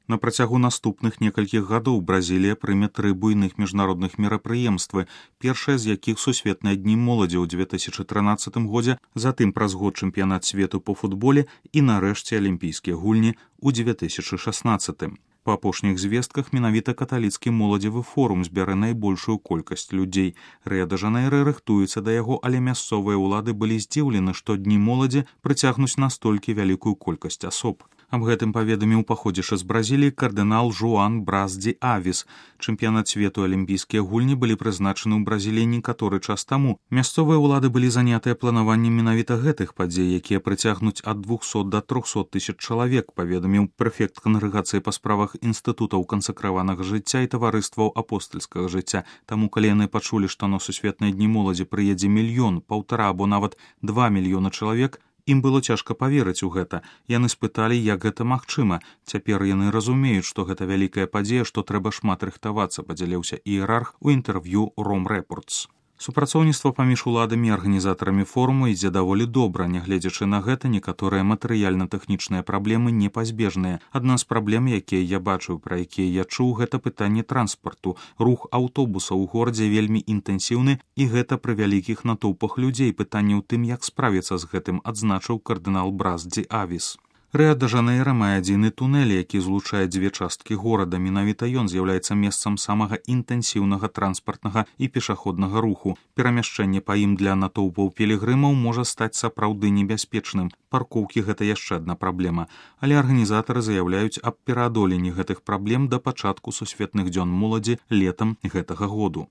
На працягу наступных некалькіх гадоў Бразілія прыме 3 буйных міжнародных мерапрыемствы, першае з якіх сусветныя дні моладзі ў 2013 годзе, затым праз год чэмпіянат свету по футболе і нарэшце алімпійскія гульні ў 2016. Па апошніх звестках менавіта каталіцкі моладзевы форум збярэ найбольшую колькасць людзей. Рыа-дэ-Жанэйра рыхтуецца да яго, але мясцовыя ўлады былі здзіўлены, што дні моладзі прыцягнуць настолькі вялікую колькасць асоб. Аб гэтым паведаміў паходзішы з Бразіліі кардынал Жуан Брас ди Авіс. Чэмпіянат свету алімпійскія гульні былі прызначаны ў Бразіліі некаторы час таму. Мясцовыя ўлады былі занятыя планаваннем менавіта гэтых падзей, якія прыцягнуць ад 200 да 300 тысяч чалавек, паведаміў прэфект кангрэгацыі па справах інстытутаў кансакраванага жыцця і таварыстваў апостальскага жыцця. Таму, калі яны пачулі, што на сусветныя дні моладзі прыедзе 1, 1,5 або нават 2 мільёны чалавек, ім было цяжка паверыць у гэта. Яны спыталі, як гэта магчыма. Цяпер яны разумеюць, што гэта вялікая падзея, што трэба шмат рыхтавацца, падзяліўся іерарх у інтэрв'ю Rome Reports. Супрацоўніцтва паміж уладамі і арганізатарамі форуму ідзе даволі добра. Нягледзячы на гэта, некаторыя матэрыяльна-тэхнічныя праблемы непазбежныя. Адна з праблем, якія я бачыў, пра якія я чуў, гэта пытанне транспарту. Рух аўтобусаў у горадзе вельмі інтэнсіўны, і гэта пры вялікіх натоўпах людзей. Пытанне ў тым, як справіцца з гэтым, адзначыў кардынал Брас ди Авіс. Рыа-дэ-Жанэйра мае адзіны тунэль, які злучае 2 часткі горада. Менавіта ён з'яўляецца месцам самага інтэнсіўнага транспартнага і пешаходнага руху. Перамяшчэнне па ім для натоўпаў пілігрымаў можа стаць сапраўды небяспечным. Паркоўкі — гэта яшчэ адна праблема. Але арганізатары заяўляюць аб пераадоленні гэтых праблем да пачатку сусветных дзён моладзі летам гэтага году.